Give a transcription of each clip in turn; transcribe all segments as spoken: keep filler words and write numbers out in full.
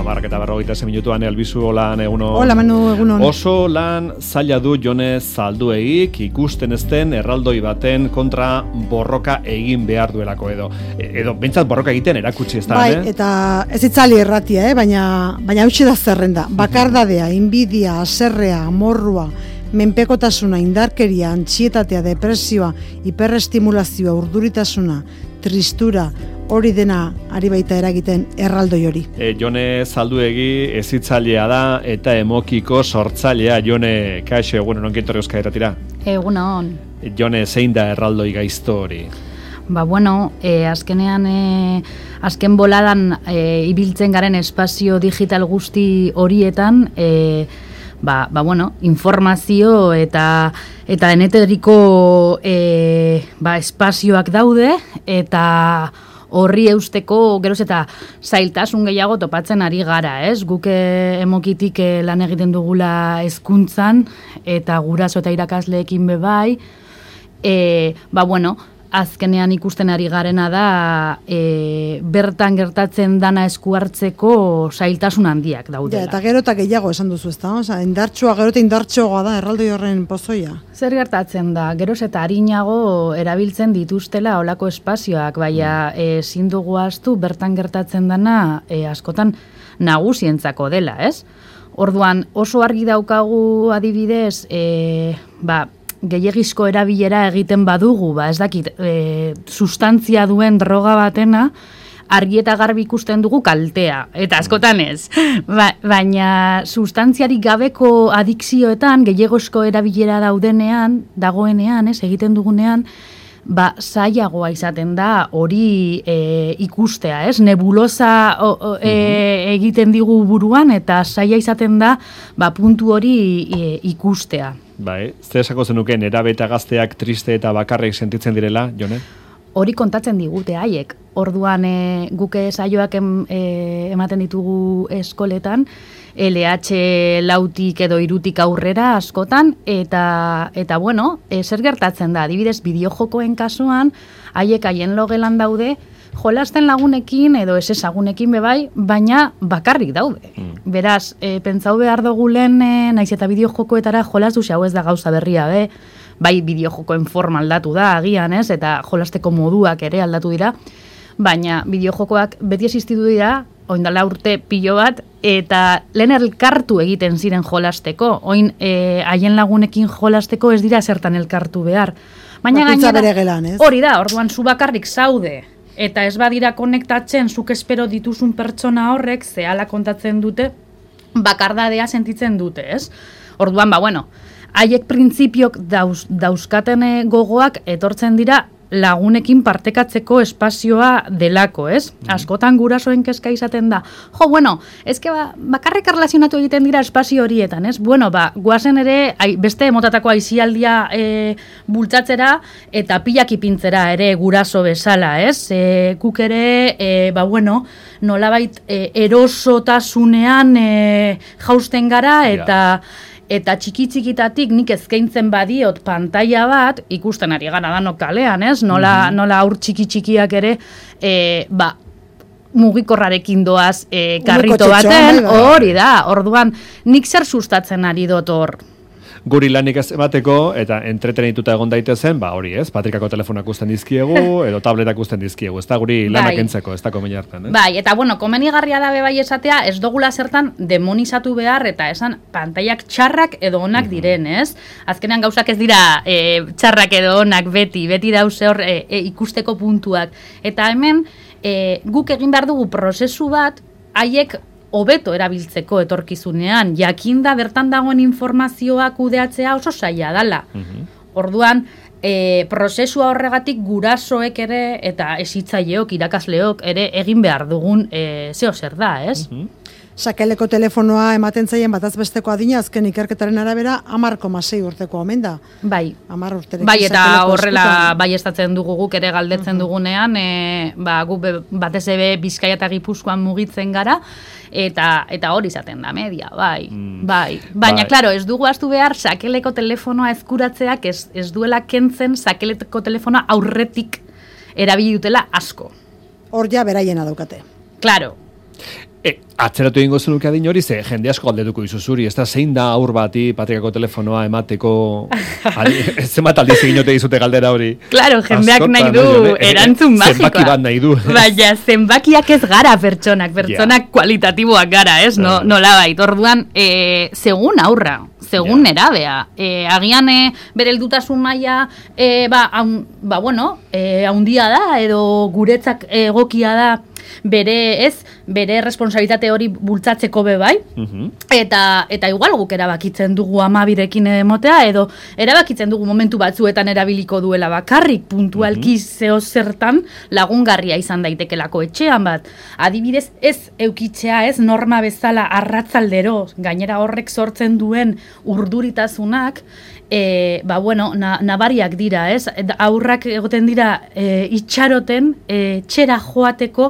hamarrak eta berrogeita ze minutuan, Albizu, holan egunon. Hola, Manu, egunon. Oso lan zaila du Jone Zalduegik ikusten ezten erraldoi baten kontra borroka egin behar duelako edo. Edo, bentsat borroka egiten erakutsi ez da, bai, eh? eta ez itzali erratia, eh? baina, baina hautsi da zerrenda. Bakardadea, inbidia, aserrea, amorrua, menpekotasuna, indarkeria, antxietatea, depresioa, hiperestimulazioa, urduritasuna, tristura, hori dena ari baita eragiten erraldoi hori. E, Jone Zalduegi ezitzailea da eta emokiko sortzailea. Jone, kaixo, egunon, onkintorri euskal eratira? Egunon. Jone, zein da erraldoi gaizto hori? Ba, bueno, e, azkenean, e, azken boladan e, ibiltzen garen espazio digital guzti horietan, e, ba, ba, bueno, informazio eta eta deneteriko e, ba, espazioak daude, eta horri eusteko geroz eta zailtasun gehiago topatzen ari gara, ez? Guk emokitik lan egiten dugula hezkuntzan eta guraso eta irakasleekin bebai, e, ba, bueno, azkenean ikusten ari garena da e, bertan gertatzen dana esku hartzeko zailtasun handiak daudela. Ja, eta gero eta gehiago esan duzu, ezta? Osea, indartsua gero eta indartsoagoa da erraldoi horren pozoia. Zer gertatzen da? Geroz eta arinago erabiltzen dituztela olako espazioak, baina ezin dugu ahaztu bertan gertatzen dana e, askotan nagusientzako dela, ez? Orduan oso argi daukagu adibidez, e, ba, gehiegizko erabilera egiten badugu, ba, ez dakit, e, sustantzia duen droga batena, argi eta garbi ikusten dugu kaltea, eta askotan ez. Ba, baina sustantziarik gabeko adikzioetan, gehiegizko erabilera daudenean, dagoenean, ez, egiten dugunean, ba, zailagoa izaten da hori e, ikustea, ez? Nebulosa o, o, e, egiten digu buruan, eta zaila izaten da, ba, puntu hori e, ikustea. Bai, zer esako zenuken erabe eta gazteak triste eta bakarrik sentitzen direla, Jone? Hori kontatzen digute haiek. Orduan e, guke saioak em, e, ematen ditugu eskoletan, L H lautik edo irutik aurrera askotan, eta, eta bueno, e, zer gertatzen da, adibidez, bideojokoen kasuan, haiek haien logelan daude, jolasten lagunekin edo ez ezagunekin bebai, baina bakarrik daude. Mm. Beraz, e, pentsau behar dugu lehen, e, naiz eta bideojokoetara jolas du, hau ez da gauza berria, be, bai bideojokoen forma aldatu da, agian, ez, eta jolasteko moduak ere aldatu dira, baina bideojokoak beti existitu dira, oindala urte pilo bat, eta lehen elkartu egiten ziren jolasteko, oin e, haien lagunekin jolasteko ez dira zertan elkartu behar. Baina gainera, hori da, orduan zu bakarrik zaude, eta ez badira konektatzen zuk espero dituzun pertsona horrek, zehala kontatzen dute, bakardadea sentitzen dute, ez? Orduan, ba, bueno, haiek printzipiok dauz, dauzkaten gogoak etortzen dira lagunekin partekatzeko espazioa delako, ez? Mm. Askotan gurasoen kezka izaten da. Jo, bueno, ezke ba, bakarrik erlazionatu egiten dira espazio horietan, ez? Bueno, ba, guazen ere ai, beste motatako aizialdia e, bultzatzera eta pilak ipintzera ere guraso bezala, ez? E, guk ere, e, ba, bueno, nolabait e, erosotasunean e, jausten gara eta... Yeah. Eta txiki-txikitatik nik ezkeintzen badiot pantaila bat, ikusten ari gara danok kalean, ez? Nola, mm-hmm. nola aur txiki-txikiak ere, e, ba, mugikorrarekin doaz e, karrito baten, hori da, orduan, nik zer sustatzen ari dut hor? Guri lanik ez emateko, eta entretenituta egon daitezen, ba hori ez, patrikako telefonak usten dizkiegu, edo tabletak usten dizkiegu, ez da guri lanak bai. Entzeko, ez da komeni hartan, ez? Bai, eta bueno, komenigarria da bebai esatea, ez dugula zertan demonizatu behar, eta esan pantaiak txarrak edo onak diren, ez? Azkenean gauzak ez dira e, txarrak edo onak beti, beti dauze hor e, e, ikusteko puntuak. Eta hemen, e, guk egin behar dugu prozesu bat, haiek hobeto erabiltzeko etorkizunean, jakinda bertan dagoen informazioa kudeatzea oso zaila dala. Uh-huh. Orduan, e, prozesua horregatik gurasoek ere eta hezitzaileok, irakasleok ere egin behar dugun e, zeo zer da, ez? Uh-huh. Sakeleko telefonoa ematen zaien bataz besteko adina, azken ikerketaren arabera hamar koma sei urteko omen da. Bai. hamar urterekin. Bai, eta horrela bai estatzen dugu guk ere galdetzen uh-huh. dugunean, e, ba, gu batez ere Bizkaia eta Gipuzkoan mugitzen gara, eta eta hori izaten da media, bai. Mm. Bai. Baina, bai. Claro, ez dugu ahaztu behar sakeleko telefonoa ezkuratzeak ez, ez duela kentzen sakeleko telefonoa aurretik erabili dutela asko. Hor ja beraiena daukate. Claro. E, atzeratu egingo zenuke adin hori, ze jende asko galdetuko dizu zuri, ez da zein da aur bati patrikako telefonoa emateko, zenbat aldiz egin ote dizute galdera hori. Claro, jendeak Askotan, nahi du no, erantzun magikoa. Zenbaki bat nahi du. Baina, zenbakiak ez gara pertsonak, pertsonak yeah. kualitatiboak gara, ez? No, nola bait, orduan, e, segun aurra, segun yeah. nerabea. E, agian e, bere heldutasun maila, e, ba, un, ba, bueno, e, haundia da, edo guretzak egokia da, bere ez, bere responsabilitate hori bultzatzeko be bai, uh-huh. eta, eta igual guk erabakitzen dugu amabirekin emotea, edo erabakitzen dugu momentu batzuetan erabiliko duela bakarrik, puntualki uh-huh. zeo zertan lagungarria izan daitekelako etxean bat. Adibidez, ez eukitzea, ez norma bezala arratzaldero, gainera horrek sortzen duen urduritasunak, E, ba, bueno, na, nabariak dira, ez? Aurrak egoten dira e, itxaroten, e, txera joateko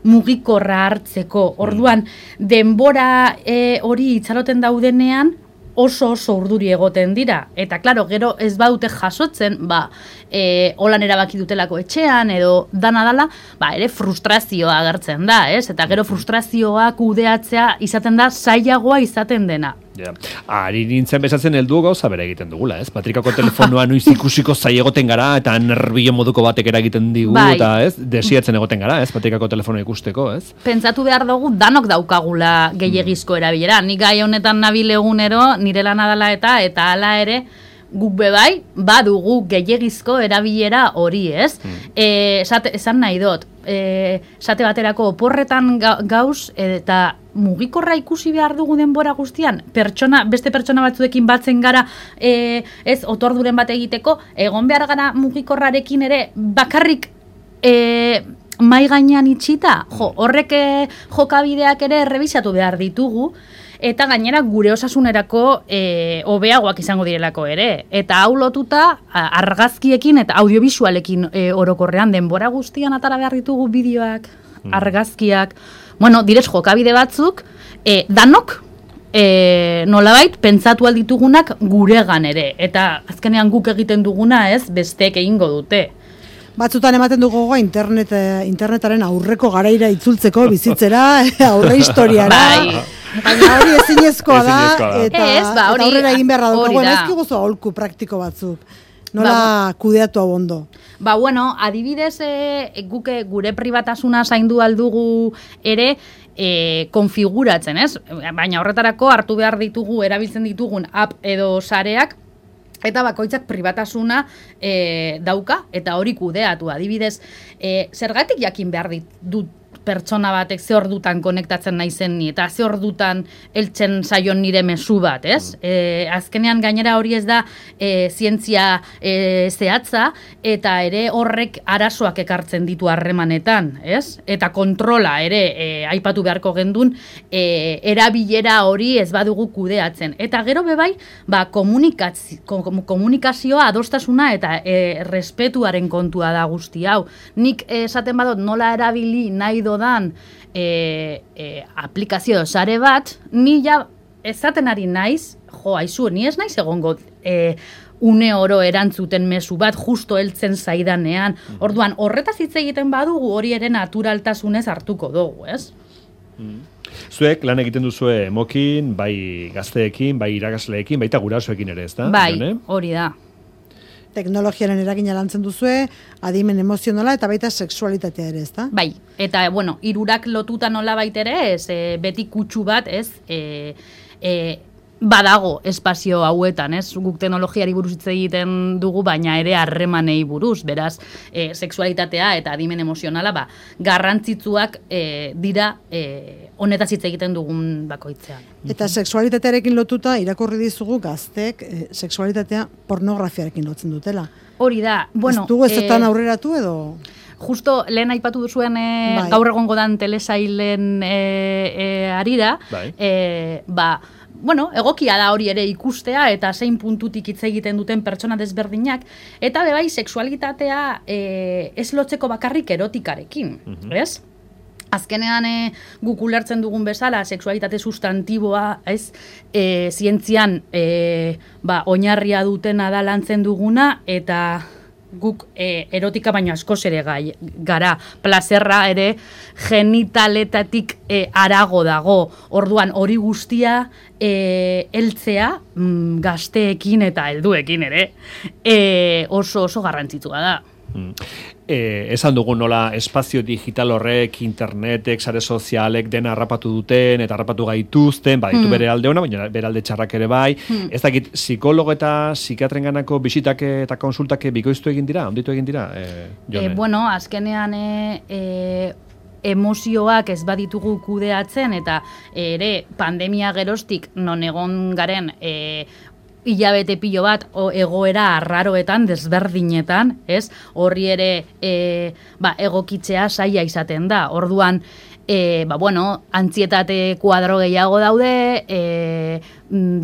mugikorra hartzeko. Orduan, denbora e, hori itxaroten daudenean, oso oso urduri egoten dira. Eta, klaro, gero ez baute jasotzen, ba, e, holan erabaki dutelako etxean, edo dana dala, ba, ere frustrazioa agertzen da, ez? Eta gero frustrazioa kudeatzea izaten da zailagoa izaten dena. Ja. Ari nintzen bezatzen heldu gauza bera egiten dugula, ez? Patrikako telefonoa nuiz ikusiko zai egoten gara, eta nerbio moduko batek eragiten digu, bai. Eta ez? Desiatzen egoten gara, ez? Patrikako telefonoa ikusteko, ez? Pentsatu behar dugu danok daukagula gehiegizko erabilera. Nik gai honetan nabil egunero, nire lana dela eta, eta hala ere, guk bebai, badugu gehiegizko erabilera hori, ez? Hmm. E, esate, esan nahi dut, e, esate baterako oporretan gauz, eta mugikorra ikusi behar dugu denbora guztian, pertsona, beste pertsona batzuekin batzen gara, e, ez, otorduren bat egiteko, egon behar gara mugikorrarekin ere, bakarrik e, mai gainean itxita, jo, horrek e, jokabideak ere errebisatu behar ditugu, eta gainera gure osasunerako e, hobeagoak izango direlako ere. Eta hau lotuta argazkiekin eta audiovisualekin e, orokorrean denbora guztian atara behar ditugu bideoak, mm. argazkiak, bueno, direz jokabide batzuk, e, danok, e, nolabait, pentsatu alditugunak guregan ere. Eta azkenean guk egiten duguna ez, besteek egingo dute. Batzutan ematen dugu gogoa internet, internetaren aurreko garaira itzultzeko bizitzera, aurre historiara. Bai. Baina hori ezinezkoa da, eta, ez, ba, hori, eta aurrera egin beharra dugu. Bueno, ez kiguzo aholku praktiko batzuk. Nola ba, kudeatu abondo. Ba, bueno, adibidez, e, guke gure pribatasuna zaindu aldugu ere, e, konfiguratzen, ez? Baina horretarako hartu behar ditugu, erabiltzen ditugun app edo sareak, eta bakoitzak pribatasuna e, dauka, eta hori kudeatu. Adibidez, e, zergatik jakin behar ditut pertsona batek ze ordutan konektatzen naizen ni, eta ze ordutan heltzen zaion nire mezu bat, ez? Mm. E, azkenean gainera hori ez da e, zientzia e, zehatza, eta ere horrek arazoak ekartzen ditu harremanetan, ez? Eta kontrola ere e, aipatu beharko gendun, e, erabilera hori ez badugu kudeatzen. Eta gero bebai, ba, komunikazio, komunikazioa, adostasuna eta e, respetuaren kontua da guzti hau. Nik esaten badot nola erabili nahi do dan e, e, aplikazio sare bat, ni ja ezaten ari naiz, jo, aizu, ni ez naiz egongo e, une oro erantzuten mezu bat, justo heltzen zaidanean. Orduan, horretaz hitz egiten badugu hori ere naturaltasunez hartuko dugu, ez? Zuek lan egiten duzue mokin, bai gazteekin, bai irakasleekin, baita gurasoekin ere, ez da? Bai, hori da. Teknologiaren eragina lantzen duzue, adimen emozionala eta baita sexualitatea ere, ez da? Bai, eta, bueno, hirurak lotuta nola baita ere, ez, e, beti kutsu bat, ez, e, e, badago espazio hauetan, ez, guk teknologiari buruz hitz egiten dugu, baina ere harremanei buruz, beraz, e, sexualitatea eta adimen emozionala, ba, garrantzitsuak e, dira e, honetaz hitz egiten dugun bakoitzean. Eta sexualitatearekin lotuta, irakurri dizugu gaztek, e, sexualitatea pornografiarekin lotzen dutela. Hori da, bueno... Ez dugu ezetan e, aurreratu edo... Justo lehen aipatu duzuen e, bai. Gaur egongo dan telesailen e, e, arira, bai. e, ba, bueno, egokia da hori ere ikustea eta zein puntutik hitz egiten duten pertsona desberdinak, eta bebai sexualitatea e, ez lotzeko bakarrik erotikarekin, mm-hmm. ez? Azkenean e, guk ulertzen dugun bezala, sexualitate sustantiboa, ez, e, zientzian e, ba, oinarria dutena da lantzen duguna, eta guk e, erotika baino askoz ere gai, gara, plazerra ere genitaletatik e, arago dago, orduan hori guztia e, heltzea mm, gazteekin eta helduekin ere e, oso oso garrantzitsua da. Mm. E, esan dugu nola espazio digital horrek, internetek, sare sozialek dena harrapatu duten eta harrapatu gaituzten, baditu mm. bere alde ona, baina bere alde txarrak ere bai. Mm. Ez dakit, psikologo eta psikiatrenganako bisitak eta konsultak bikoiztu egin dira, onditu egin dira? E, e, bueno, azkenean e, e, emozioak ez baditugu kudeatzen eta ere pandemia geroztik non egon garen e, hilabete pilo bat o, egoera arraroetan, desberdinetan, ez? Horri ere e, ba, egokitzea saia izaten da. Orduan, e, ba, bueno, antzietate kuadro gehiago daude, e,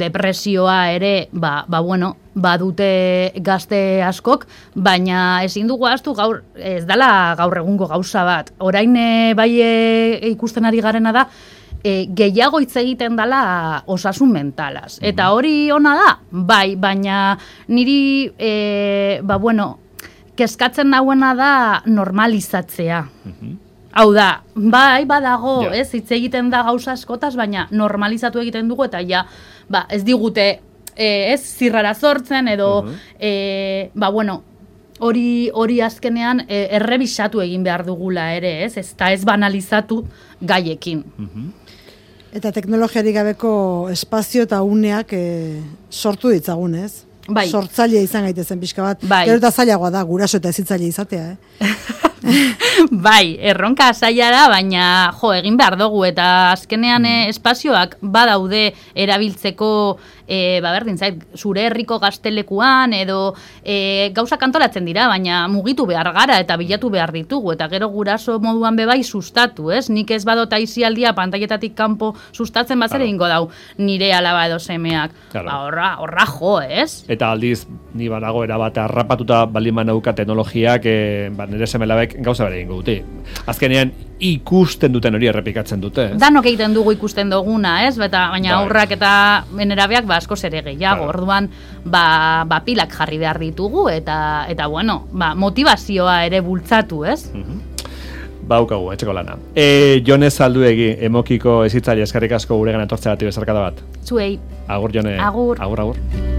depresioa ere, ba, ba, bueno, badute gazte askok, baina ezin dugu ahaztu gaur, ez dala gaur egungo gauza bat. Orain e, bai e, ikusten ari garena da, E, gehiago hitz egiten dela osasun mentalaz. Eta hori ona da, bai, baina niri, e, ba, bueno, kezkatzen nauena da normalizatzea. Mm-hmm. Hau da, bai, badago, yeah. ez, hitz egiten da gauza askotaz, baina normalizatu egiten dugu, eta ja, ba, ez digute, e, ez, zirrara sortzen, edo, uh-huh. e, ba, bueno, hori hori azkenean e, errebisatu egin behar dugula ere, ez, ez, eta ez banalizatu gaiekin. Mm-hmm. Eta teknologiarik gabeko espazio eta uneak e, sortu ditzagun, ez? Bai. Sortzaile izan gaitezen pixka bat. Bai. Gero eta zailagoa da, guraso eta ezitzaile izatea, eh? Bai, erronka zaila da, baina jo, egin behar dugu, eta azkenean mm. espazioak badaude erabiltzeko, e, ba berdin zait, zure herriko gaztelekuan, edo e, gauzak antolatzen dira, baina mugitu behar gara eta bilatu behar ditugu, eta gero guraso moduan bebai sustatu, ez? Nik ez badota izialdia pantaietatik kanpo sustatzen bazere ingo dau nire alaba edo semeak. Claro. Ba, horra, horra jo, ez? Eta aldiz, ni banago erabat harrapatuta baldin banauka teknologiak, e, ba, nire semelabek gauza bere egingo dute. Azkenean ikusten duten hori errepikatzen dute, ez? Danok egiten dugu ikusten duguna, ez? Beta, baina aurrak eta menerabeak ba askoz ere gehiago. Claro. Orduan, ba, ba pilak jarri behar ditugu eta eta bueno, ba, motivazioa ere bultzatu, ez? Mm-hmm. Baukagu, etxeko lana. E, Jone Zalduegi, emokiko ezitzaile eskerrik asko guregan etortzeagatik bezarkada bat. Zuei. Agur, Jone. Agur. Agur, agur.